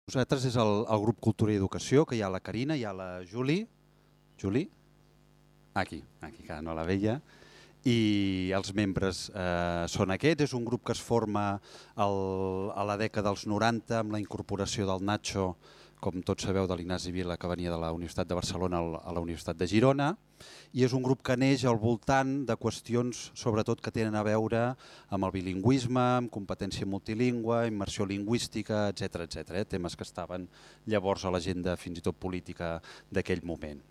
Nosaltres és el grup Cultura i Educació, que hi ha la Carina, hi ha la Juli. Juli? Aquí, que no la veia. I els membres són aquests. És un grup que es forma a la dècada dels 90 amb la incorporació del Nacho, com tots sabeu, de l'Ignasi Vila, que venia de la Universitat de Barcelona a la Universitat de Girona, i és un grup que neix al voltant de qüestions sobretot que tenen a veure amb el bilingüisme, amb competència multilingüe, immersió lingüística, etc. Temes que estaven llavors a l'agenda fins i tot política d'aquell moment.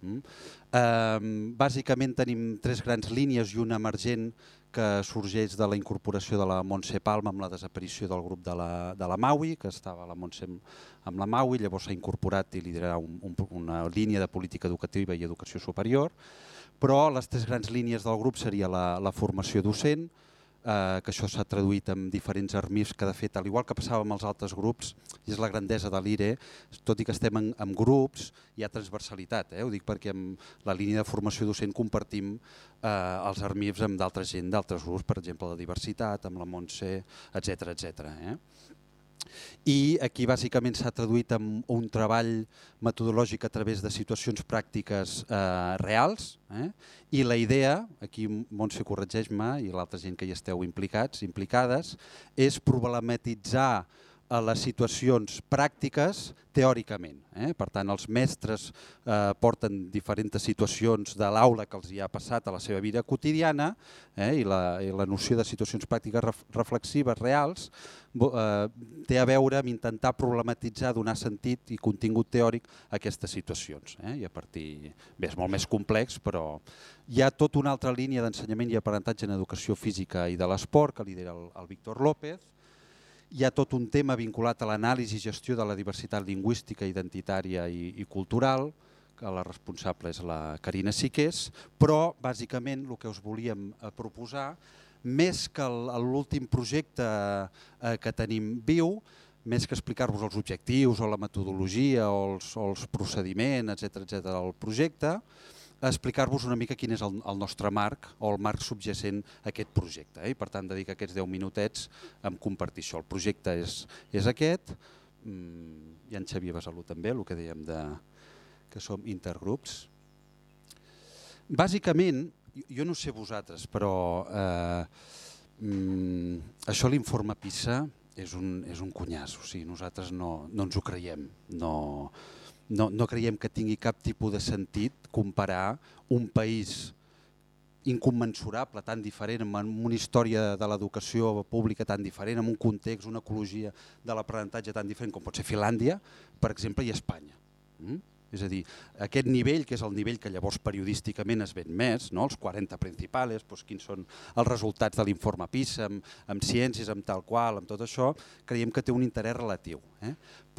Bàsicament tenim 3 grans línies i una emergent que sorgeix de la incorporació de la Montse Palma amb la desaparició del grup de la Maui, que estava la Montse amb la Maui, llavors s'ha incorporat i liderarà una línia de política educativa i educació superior, però les 3 grans línies del grup seria la formació docent, que això s'ha traduït en diferents ARMIFs que de fet, al igual que passava amb els altres grups, i és la grandesa de l'IRE, tot i que estem en grups, hi ha transversalitat. Ho dic perquè amb la línia de formació docent compartim els ARMIFs amb d'altra gent, d'altres grups, per exemple la diversitat, amb la Montse, etc. I aquí bàsicament s'ha traduït en un treball metodològic a través de situacions pràctiques reals, i la idea, aquí Montse corregeix-me i l'altra gent que hi esteu implicades, és problematitzar les situacions pràctiques teòricament. Per tant, els mestres porten diferents situacions de l'aula que els hi ha passat a la seva vida quotidiana, i la noció de situacions pràctiques reflexives reals té a veure amb intentar problematitzar, donar sentit i contingut teòric a aquestes situacions. I a partir, bé, és molt més complex, però hi ha tota una altra línia d'ensenyament i aprenentatge en educació física i de l'esport que lidera el Víctor López. Hi ha tot un tema vinculat a l'anàlisi i gestió de la diversitat lingüística, identitària i cultural, que la responsable és la Carina Siqués, però bàsicament el que us volíem proposar, més que l'últim projecte que tenim viu, més que explicar-vos els objectius o la metodologia o els procediments, etc. del projecte, explicar-vos una mica quin és el nostre marc o el marc subjacent a aquest projecte. I per tant dedicar aquests 10 minutets a compartir això. El projecte és aquest, i en Xavier Besalú també, el que dèiem que som intergrups. Bàsicament, jo no sé vosaltres, però això l'informe PISA és un cunyàs, o sigui, nosaltres no ens ho creiem, no creiem que tingui cap tipus de sentit comparar un país incommensurable, tan diferent, amb una història de l'educació pública tan diferent, amb un context, una ecologia de l'aprenentatge tan diferent com pot ser Finlàndia, per exemple, i Espanya. És a dir, aquest nivell, que és el nivell que llavors periodísticament es ven més, els 40 principals, quins són els resultats de l'informe PISA, amb ciències, amb tal qual, amb tot això, creiem que té un interès relatiu.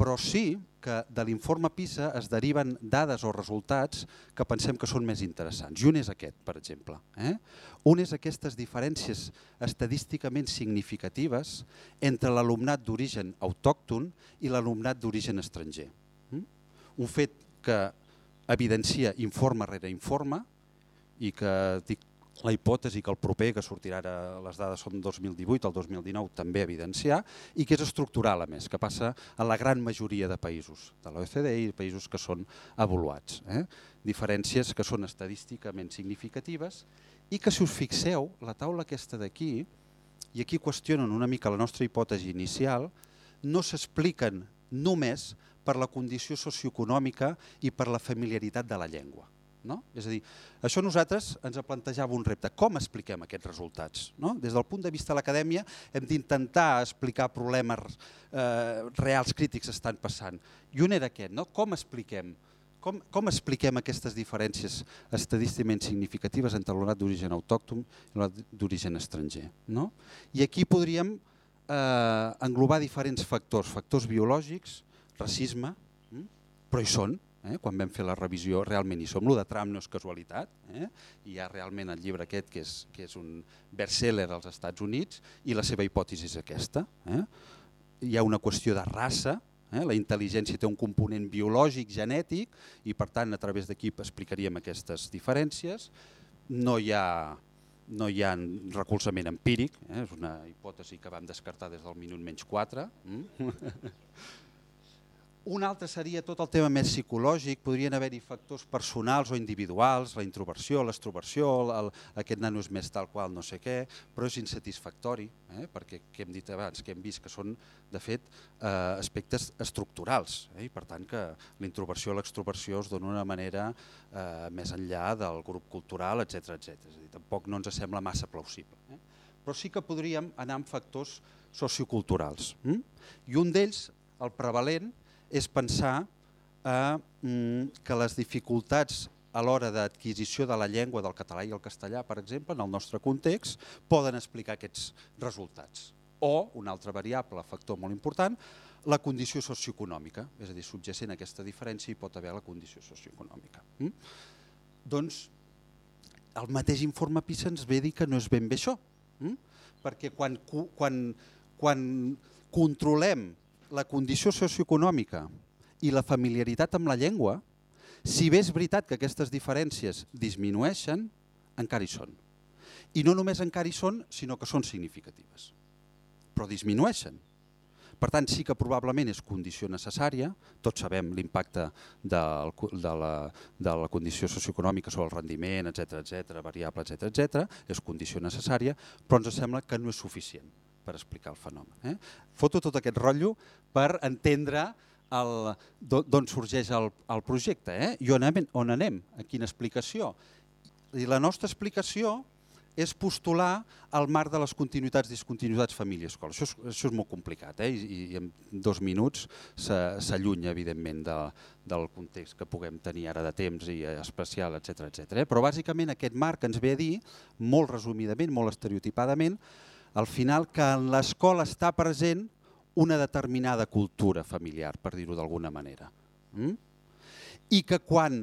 Però sí que de l'informe PISA es deriven dades o resultats que pensem que són més interessants. I un és aquest, per exemple. Un és aquestes diferències estadísticament significatives entre l'alumnat d'origen autòcton i l'alumnat d'origen estranger. Un fet que evidencia informe rere informe i que dic la hipòtesi que el proper, que sortirà ara, les dades són 2018, el 2019 també evidenciar, i que és estructural a més, que passa a la gran majoria de països de l'OCDE i països que són avaluats. Diferències que són estadísticament significatives i que, si us fixeu, la taula aquesta d'aquí, i aquí qüestionen una mica la nostra hipòtesi inicial, no s'expliquen només per la condició socioeconòmica i per la familiaritat de la llengua. És a dir, això nosaltres ens plantejava un repte. Com expliquem aquests resultats? Des del punt de vista de l'acadèmia hem d'intentar explicar problemes reals crítics que estan passant. I un era aquest, com expliquem aquestes diferències estadísticament significatives entre l'alumnat d'origen autòcton i l'alumnat d'origen estranger. I aquí podríem englobar diferents factors, factors biològics, racisme, però hi són, quan vam fer la revisió realment hi som. Lo de Trump no és casualitat, hi ha realment el llibre aquest que és un best-seller als Estats Units i la seva hipòtesi és aquesta. Hi ha una qüestió de raça, la intel·ligència té un component biològic, genètic, i per tant a través d'aquí explicaríem aquestes diferències. No hi ha recolzament empíric, és una hipòtesi que vam descartar des del minut -4. Un altre seria tot el tema més psicològic, podrien haver-hi factors personals o individuals, la introversió, l'extroversió, aquest nano és més tal qual no sé què, però és insatisfactori, perquè que hem dit abans, que hem vist que són, de fet, aspectes estructurals, i per tant que la introversió o l'extroversió es dona d'una manera més enllà del grup cultural, etc. És a dir, tampoc no ens sembla massa plausible. Però sí que podríem anar amb factors socioculturals. I un d'ells, el prevalent, és pensar que les dificultats a l'hora d'adquisició de la llengua del català i el castellà, per exemple, en el nostre context, poden explicar aquests resultats. O, una altra variable, factor molt important, la condició socioeconòmica, és a dir, subjacent a aquesta diferència hi pot haver la condició socioeconòmica. Doncs el mateix informe PISA ens ve a dir que no és ben bé això, perquè quan controlem la condició socioeconòmica i la familiaritat amb la llengua, si bé és veritat que aquestes diferències disminueixen, encara hi són. I no només encara hi són, sinó que són significatives, però disminueixen. Per tant, sí que probablement és condició necessària, tots sabem l'impacte de la condició socioeconòmica sobre el rendiment, etc., variable, etc., és condició necessària, però ens sembla que no és suficient per explicar el fenomen. Foto tot aquest rotllo per entendre d'on sorgeix el projecte i on anem, a quina explicació. I la nostra explicació és postular el marc de les continuïtats, discontinuïtats, família, escola. Això és molt complicat i en 2 minuts s'allunya, evidentment, del context que puguem tenir ara de temps i especial, etc. Però bàsicament aquest marc ens ve a dir, molt resumidament, molt estereotipadament, al final que en l'escola està present una determinada cultura familiar, per dir-ho d'alguna manera. I que quan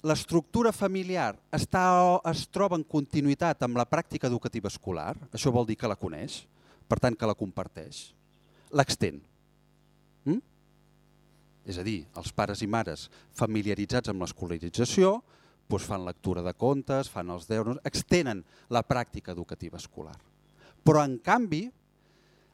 l'estructura familiar es troba en continuïtat amb la pràctica educativa escolar, això vol dir que la coneix, per tant que la comparteix, l'extén. És a dir, els pares i mares familiaritzats amb l'escolarització fan lectura de contes, fan els deures, extenen la pràctica educativa escolar. Però, en canvi,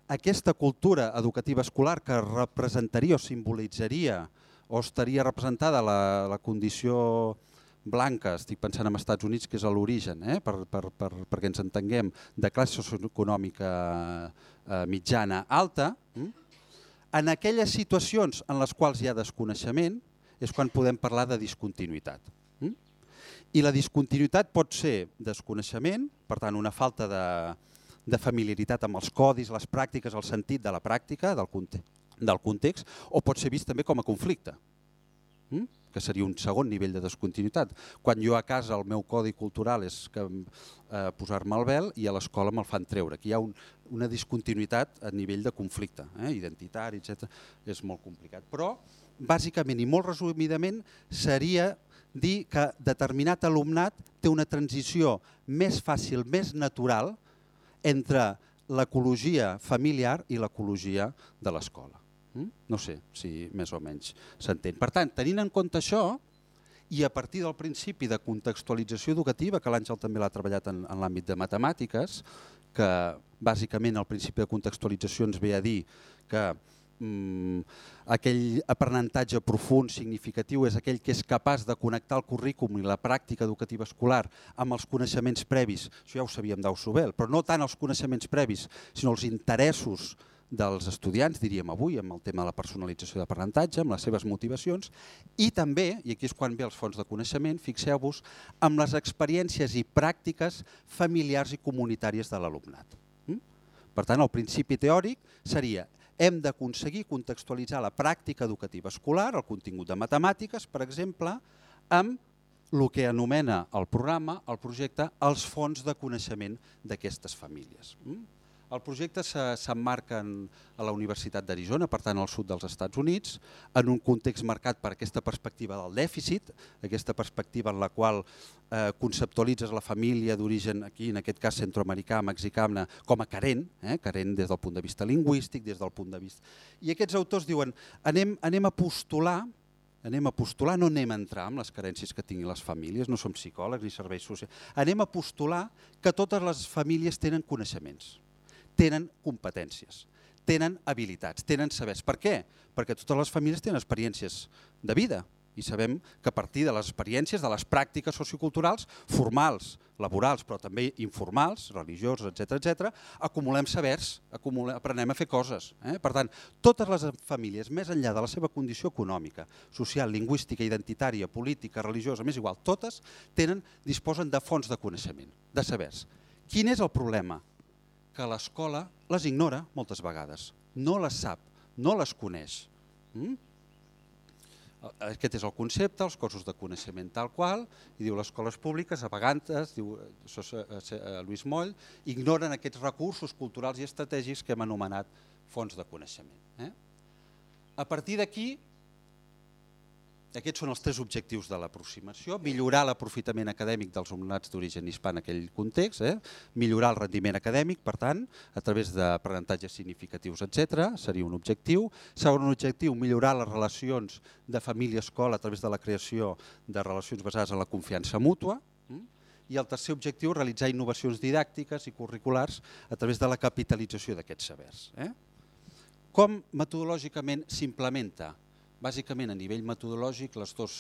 aquesta cultura educativa escolar que representaria o simbolitzaria o estaria representada la condició blanca, estic pensant en Estats Units, que és l'origen, perquè ens entenguem, de classe socioeconòmica mitjana alta, en aquelles situacions en les quals hi ha desconeixement és quan podem parlar de discontinuïtat. I la discontinuïtat pot ser desconeixement, per tant una falta de familiaritat amb els codis, les pràctiques, el sentit de la pràctica, del context, o pot ser vist també com a conflicte, que seria un segon nivell de descontinuïtat. Quan jo a casa el meu codi cultural és posar-me el vel i a l'escola me'l fan treure. Aquí hi ha una discontinuïtat a nivell de conflicte, identitari, etc. És molt complicat. Però, bàsicament i molt resumidament, seria dir que determinat alumnat té una transició més fàcil, més natural, entre l'ecologia familiar i l'ecologia de l'escola. No sé si més o menys s'entén. Per tant, tenint en compte això, i a partir del principi de contextualització educativa, que l'Àngel també l'ha treballat en l'àmbit de matemàtiques, que bàsicament el principi de contextualització ens ve a dir que aquell aprenentatge profund, significatiu, és aquell que és capaç de connectar el currículum i la pràctica educativa escolar amb els coneixements previs, això ja ho sabíem d'Ausubel, però no tant els coneixements previs, sinó els interessos dels estudiants, diríem avui, amb el tema de la personalització d'aprenentatge, amb les seves motivacions, i també, i aquí és quan ve els fons de coneixement, fixeu-vos, amb les experiències i pràctiques familiars i comunitàries de l'alumnat. Per tant, el principi teòric seria hem d'aconseguir contextualitzar la pràctica educativa escolar, el contingut de matemàtiques, per exemple, amb el que anomena el programa, el projecte, els fons de coneixement d'aquestes famílies. El projecte s'emmarca a la Universitat d'Arizona, per tant al sud dels Estats Units, en un context marcat per aquesta perspectiva del dèficit, aquesta perspectiva en la qual conceptualitzes la família d'origen, aquí en aquest cas centroamericà, mexicana, com a carent, carent des del punt de vista lingüístic, des del punt de vista... I aquests autors diuen, anem a postular, no anem a entrar en les carències que tinguin les famílies, no som psicòlegs ni serveis socials, anem a postular que totes les famílies tenen coneixements, tenen competències, tenen habilitats, tenen sabers. Per què? Perquè totes les famílies tenen experiències de vida i sabem que a partir de les experiències, de les pràctiques socioculturals, formals, laborals, però també informals, religiosos, etc., acumulem sabers, aprenem a fer coses. Per tant, totes les famílies, més enllà de la seva condició econòmica, social, lingüística, identitària, política, religiosa, m'és igual, totes disposen de fonts de coneixement, de sabers. Quin és el problema? Que l'escola les ignora moltes vegades, no les sap, no les coneix. Aquest és el concepte, els cossos de coneixement tal qual, i diu les escoles públiques, a vegades, diu Lluís Moll, ignoren aquests recursos culturals i estratègics que hem anomenat fonts de coneixement. A partir d'aquí, aquests són els 3 objectius de l'aproximació: millorar l'aprofitament acadèmic dels alumnats d'origen hispà en aquell context, millorar el rendiment acadèmic, per tant, a través d'aprenentatges significatius, etc., seria un objectiu. Segon objectiu, millorar les relacions de família-escola a través de la creació de relacions basades en la confiança mútua. I el tercer objectiu, realitzar innovacions didàctiques i curriculars a través de la capitalització d'aquests sabers. Com metodològicament s'implementa? Bàsicament, a nivell metodològic, els 2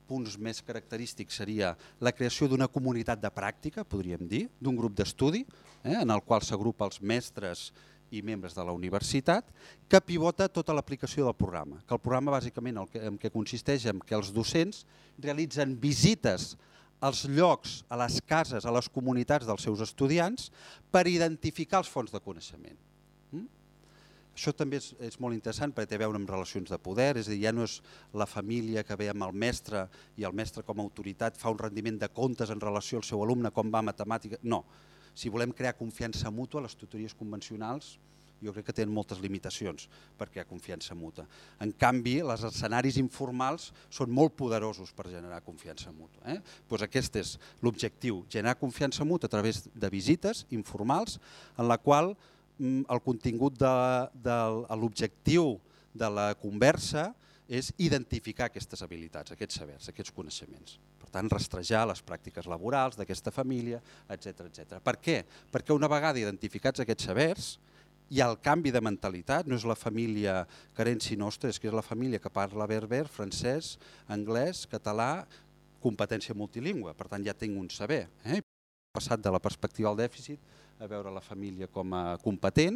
punts més característics seria la creació d'una comunitat de pràctica, podríem dir, d'un grup d'estudi, en el qual s'agrupa els mestres i membres de la universitat, que pivota tota l'aplicació del programa. Que el programa, bàsicament, en què consisteix en que els docents realitzen visites als llocs, a les cases, a les comunitats dels seus estudiants per identificar els fonts de coneixement. Això també és molt interessant perquè té a veure amb relacions de poder, és a dir, ja no és la família que ve amb el mestre i el mestre com a autoritat fa un rendiment de comptes en relació al seu alumne, com va a matemàtica. No, si volem crear confiança mútua, les tutories convencionals jo crec que tenen moltes limitacions per crear confiança mútua. En canvi, els escenaris informals són molt poderosos per generar confiança mútua. Doncs aquest és l'objectiu, generar confiança mútua a través de visites informals en la qual el contingut de l'objectiu de la conversa és identificar aquestes habilitats, aquests sabers, aquests coneixements. Per tant, rastrejar les pràctiques laborals d'aquesta família, etc. Per què? Perquè una vegada identificats aquests sabers, hi ha el canvi de mentalitat, no és la família carenci nostra, és que és la família que parla berber, francès, anglès, català, competència multilingüe. Per tant, ja tinc un saber. He passat de la perspectiva al dèficit a veure la família com a competent.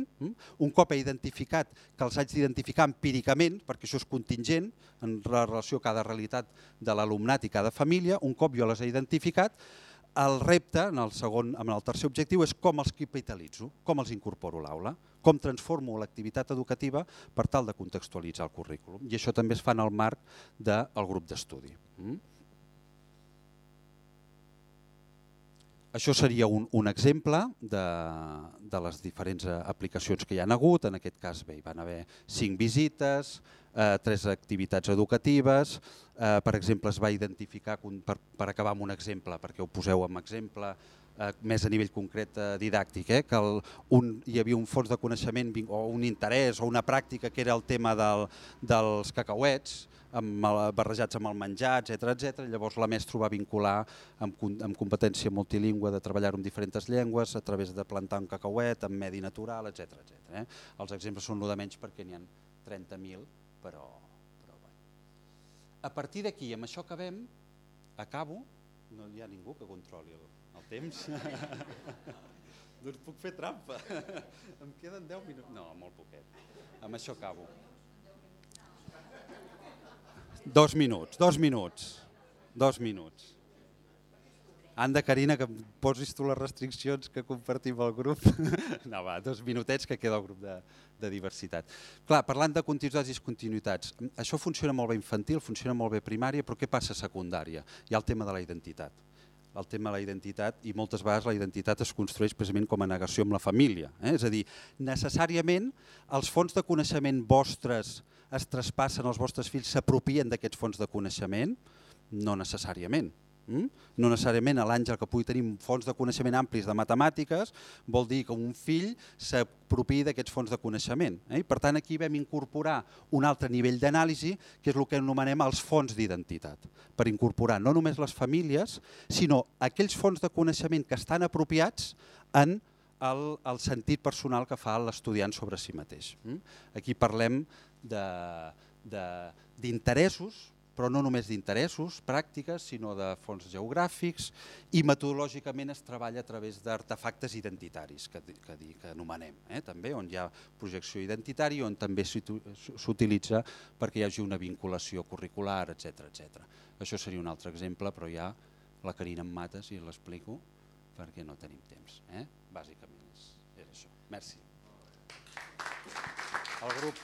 Un cop he identificat, que els haig d'identificar empíricament, perquè això és contingent en relació a cada realitat de l'alumnat i cada família, un cop jo les he identificat, el repte, en el tercer objectiu, és com els capitalitzo, com els incorporo a l'aula, com transformo l'activitat educativa per tal de contextualitzar el currículum. I això també es fa en el marc del grup d'estudi. Això seria un exemple de les diferents aplicacions que hi ha hagut. En aquest cas hi van haver 5 visites, 3 activitats educatives. Per exemple, es va identificar, per acabar amb un exemple, perquè ho poseu amb exemple, més a nivell concret didàctic, que hi havia un fons de coneixement o un interès o una pràctica que era el tema dels cacauets, barrejats amb el menjar, etc. Llavors la mestra ho va vincular amb competència multilingüe de treballar en diferents llengües a través de plantar un cacauet amb medi natural, etc. Els exemples són el de menys perquè n'hi ha 30.000, però bé. A partir d'aquí, amb això acabem, acabo, no hi ha ningú que controli el temps. Doncs puc fer trampa. Em queden 10 minuts. No, molt poquet. Amb això acabo. 2 minuts. Anda, Carina, que em posis tu les restriccions que compartim al grup. No, va, 2 minutets que queda el grup de diversitat. Clar, parlant de continuïtats i discontinuïtats, això funciona molt bé infantil, funciona molt bé primària, però què passa a secundària? Hi ha el tema de la identitat. El tema de la identitat, i moltes vegades la identitat es construeix precisament com a negació amb la família. És a dir, necessàriament els fons de coneixement vostres es traspassen, els vostres fills s'apropien d'aquests fons de coneixement? No necessàriament. No necessàriament l'Àngel que pugui tenir fons de coneixement amplis de matemàtiques vol dir que un fill s'apropiï d'aquests fons de coneixement. Per tant, aquí vam incorporar un altre nivell d'anàlisi, que és el que anomenem els fons d'identitat, per incorporar no només les famílies, sinó aquells fons de coneixement que estan apropiats en el sentit personal que fa l'estudiant sobre si mateix. Aquí parlem d'interessos, però no només d'interessos, pràctiques, sinó de fons geogràfics, i metodològicament es treballa a través d'artefactes identitaris, que anomenem, també, on hi ha projecció identitària, on també s'utilitza perquè hi hagi una vinculació curricular, etc. Això seria un altre exemple, però ja la Carina em mata si l'explico, perquè no tenim temps. Bàsicament és això. Merci. El grup...